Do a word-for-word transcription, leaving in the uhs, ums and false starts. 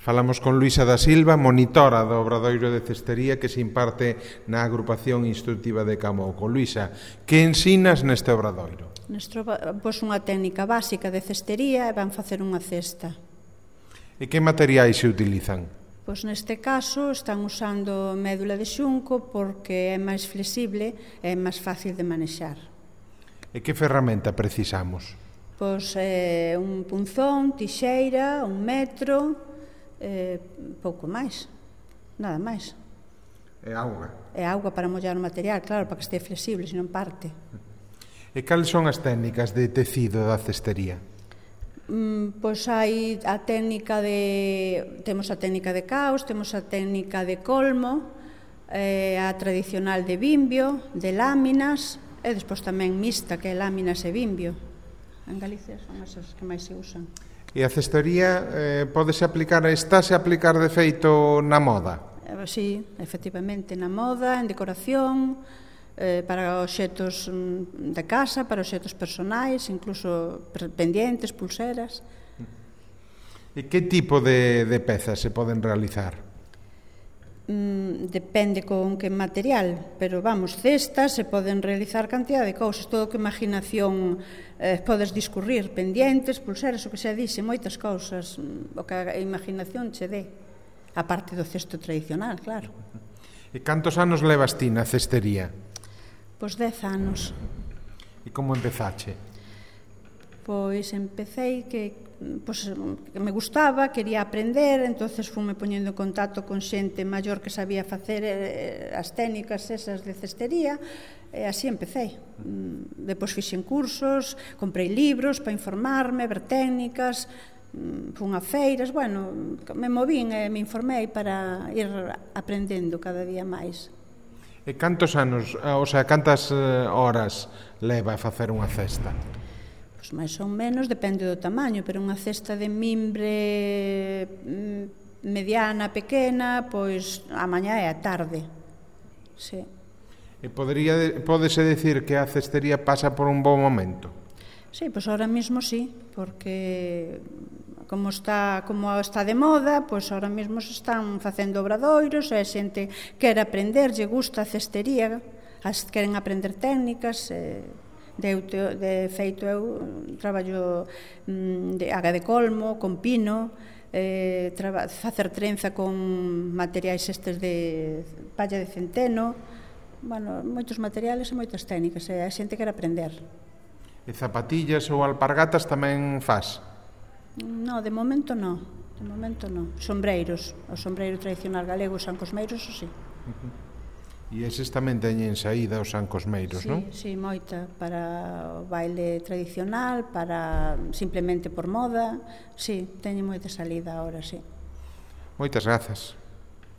Falamos con Luisa da Silva, monitora do Obradoiro de Cestería que se imparte na agrupación instructiva de Camouco. Luisa, que ensinas neste obradoiro? Neste, pois unha técnica básica de cestería e van facer unha cesta. E que materiais se utilizan? Pois neste caso están usando médula de xunco porque é máis flexible e é máis fácil de manexar. E que ferramenta precisamos? Pois eh, un punzón, tixeira, un metro, eh, pouco máis, nada máis. E auga? E auga para mollar o material, claro, para que este flexible, senón parte. E cales son as técnicas de tecido da cestería? Mm, pois hai a técnica de... Temos a técnica de caos, temos a técnica de colmo, eh, a tradicional de bimbio, de láminas, e despois tamén mixta, que é láminas e bimbio. En Galicia son esas que máis se usan. E a cestería eh, podese aplicar, estáse a aplicar de feito na moda? Eh, sí, efectivamente, na moda, en decoración, eh, para obxetos de casa, para obxetos personais, incluso pendientes, pulseras. E que tipo de, de pezas se poden realizar? Mm, depende con que material, pero vamos, cestas se poden realizar cantidad de cousas, todo o que imaginación eh, podes discurrir, pendientes, pulseras, o que se dixe, moitas cousas, o que a imaginación che dé, a parte do cesto tradicional, claro. E cantos anos levas ti na cestería? Pois dez anos. E como empezache? Pois empecei que, pois, que me gustaba, quería aprender, entonces fume poñendo en contacto con xente maior que sabía facer eh, as técnicas esas de cestería, e así empecei. Depois fixen cursos, comprei libros para informarme, ver técnicas, fun a feiras, bueno, me movín e me informei para ir aprendendo cada día máis. E cantos anos, o sea, cantas horas leva a facer unha cesta? Pois máis ou menos, depende do tamaño, pero unha cesta de mimbre mediana, pequena, pois a mañá e a tarde. Sí. E podería, pódese decir que a cestería pasa por un bo momento? Sí, pois ahora mismo sí, porque como está, como está de moda, pois ahora mesmo se están facendo obradoiros, e a xente quere aprender, lle gusta a cestería, as queren aprender técnicas, e de, de feito eu traballo de aga de colmo, con pino, eh, traba, facer trenza con materiais estes de palla de centeno, bueno, moitos materiales e moitas técnicas, e a xente quere aprender. E zapatillas ou alpargatas tamén faz? No, de momento no, de momento no. Sombreiros, o sombreiro tradicional galego, os sancosmeiros, o sí. Uh-huh. E eses tamén teñen saída os sancosmeiros, sí, non? Sí, moita, para o baile tradicional, para simplemente por moda, sí, teñen moita salida agora, sí. Moitas grazas.